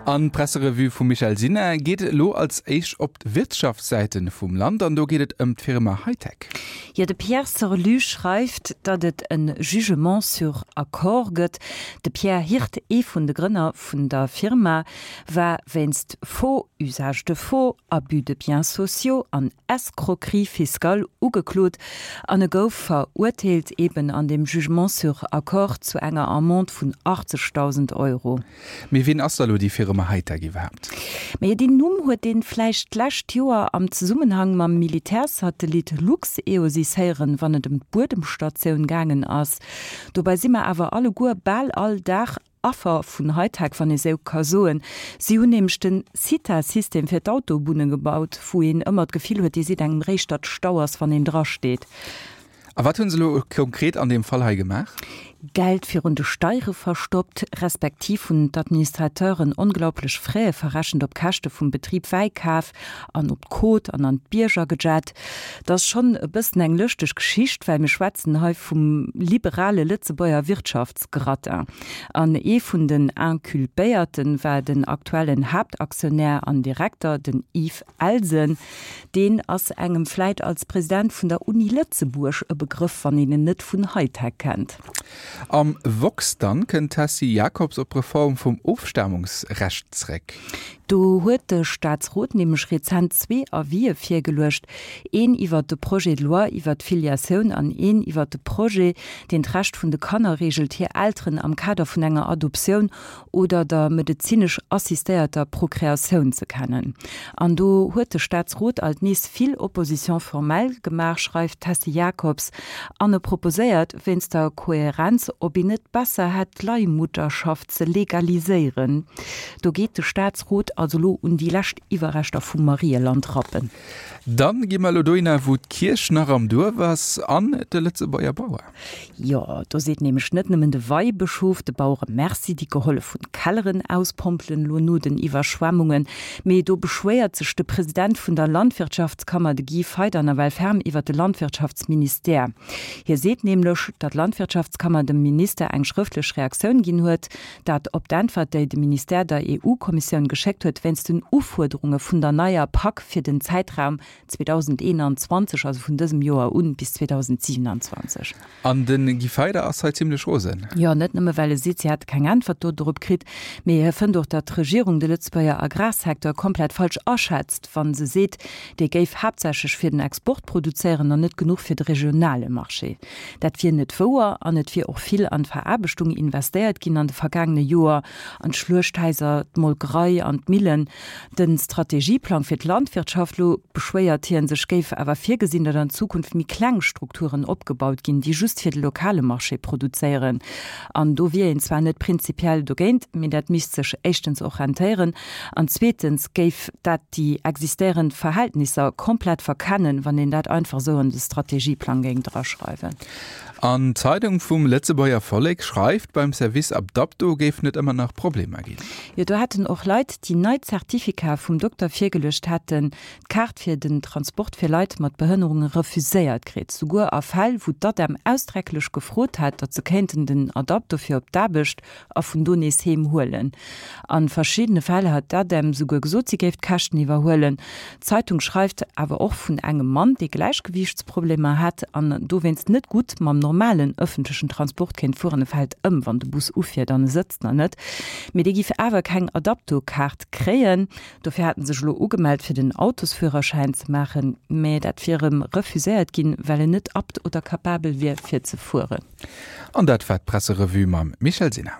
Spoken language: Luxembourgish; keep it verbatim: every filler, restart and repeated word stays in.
An d'Presserevue vum Michèle Sinner geet elo als éischt op d'Wirtschaftssäite vum Land an do geet et ëm d'Firma Hightech. Jo, de Pierre Sorlu schreift, datt et e Jugement sur accord gëtt. De Pierre Hirt, ee vun de Grënner vun der Firma, war wéinst Faux, Usage de faux, Abus de biens sociaux an Escroquerie fiscale ugeklot an e gouf verurteelt eben an dem Jugement sur accord zu enger Amende vun achtzegdausend Euro. Mee wien ass da lo déi Firma Hightech iwwerhaapt? Mee deen Numm huet een vläicht d'lescht Joer am Zesummenhang mam Militärsatellit LuxEOSys héieren, wann et ëm d'Buedemstatioun gaangen ass. Dobäi si mer awer alleguer bal all Dag Affer vun Hightech, wann ee sou ka soen. Si hunn nämlech den Cita-System fir d'Autobunne gebaut, wou een ëmmer d'Gefill huet, Dir seet engem réischt, datt Stau ass, wann een drasteet. A wat hunn se elo konkret an deem Fall hei gemaach? Geld virun de Steiere verstoppt, respektiv hunn d'Administrateuren onglaublech Fräe verrechent op Käschte vum Betrib Wäi kaf an op d'Côte an an d'Bierger gejett. Dat ass schonn e bëssen eng lëschteg Geschicht, well mir schwätzen hei vum liberale Lëtzebuerger Wirtschaftsgratin. An ee vun den Inculpéierten war den aktuellen Haaptaktionär an Direkter, den Yves Elsen. Deen ass engem vläit als President vun der Uni Lëtzebuerg e Begrëff, wann een en net vun Hightech kennt. Am Woxx dann kënnt d'Tessie Jakobs op d'Reform vum Ofstamungsrecht zréck. Do huet de Staatsrot nämlech rezent zwee Avisë virgeluecht, een iwwert de Projet de loi iwwert d'Filiatioun an een iwwert de Projet, deen d'Recht vun de Kanner reegelt, hir Elteren am Kader vun enger Adoptioun oder der medezinesch assistéierter Prokreatioun ze kennen. An do huet de Staatsrot alt nees vill Opposition formelle gemaach, schreift d'Tessie Jakobs, an e proposéiert, wéinst der Kohärenz, ob een net besser hätt, d'Leihmutterschaft ze legaliséieren. Do geet de Staatsrot also lo un déi lescht Iwwerreschter vum Marieland rappen. Dann gi mer elo dohinner, wou d'Kierch nach am Duerf ass, an de Lëtzebuerger Bauer. Jo, do seet nämlech net nëmmen de Weibëschof de Bauere Merci, déi gehollef hunn d'Kelleren auspompelen elo no den Iwwerschwemmungen, mee do beschwéiert sech de President vun der Landwirtschaftskammer, de Guy Feyder, nawell ferm iwwer de Landwirtschaftsministère. Hie seet nämlech, datt d'Landwirtschaftskammer dem Minister eng schrëftlech Reaktioun ginn huet, dat op d'Äntwert, déi de Ministère der E U-Kommissioun geschéckt huet wéinst den Ufuerderunge vun der neier Pak fir den Zäitraum zweedausendeenanzwanzeg, also vun dësem Joer un, bis zweedausendsiewenanzwanzeg. An de Guy Feyder ass hei zimlech rosen. Jo, net nëmme well e seet, si hätte keng Äntwert do dorop kritt, mee hie fënnt och, datt d'Regierung de Lëtzebuerger Agrarsecteur komplett falsch aschätzt, wa se seet, dee géif haaptsächlech fir den Export produzéieren an net genuch fir de regionale Marché. Dat wier net wouer an et wier och vill an d'Veraarbechtung investéiert ginn an de vergaangene Joer, an d'Schluechthaiser, d'Molkerei an d'Millen. De Strategieplang fir d'Landwirtschaft elo, beschwéiert hien sech, géif awer virgesinn, datt an Zukunft méi kleng Strukturen opgebaut ginn, déi just fir de lokale Marché produzéieren. An do wier een zwar net prinzipiell dogéint, mee dat misst sech éischtens och rentéieren an zweetens géif dat déi existéierend Verhältnisser komplett verkennen, wann een dat einfach esou an de Strategieplang géing draschreiwen. An d'Zeidung vum Lëtzebuerger Vollek schreift, beim Service Adapto géifen et ëmmer nach Problemer ginn. Jo, do hätten och Leit, déi nei Zertifikater vum Dokter virgeluecht hätten, d'Kaart fir den Transport fir Leit mat Behënnerunge refuséiert kritt. Souguer a Fäll, wou d'ADEM ausdrécklech gefrot hat, datt se kéinten den Adapto fir op d'Aarbecht a vun do nees heem huelen. A verschiddene Fäll hat d'ADEM souguer gesot, si géif d'Käschten iwwerhuelen. D'Zeitung schreift awer och vun engem Mann, dee Gläichgewiichtsproblemer hätt an dowéinst net gutt mam normalen ëffentlechen Transport kéint fueren, e fält ëm, wann de Bus ufiert an e sëtzt nach net, mee dee giff awer keng Adapto-Kaart kréien. Dofir hat en sech elo ugemellt, fir den Autosführerschäin ze maachen, mee dat wier em refuséiert ginn, well en net apte oder capabel wier, fir ze fueren. An dat war d'Presserevue mam Michèle Sinner.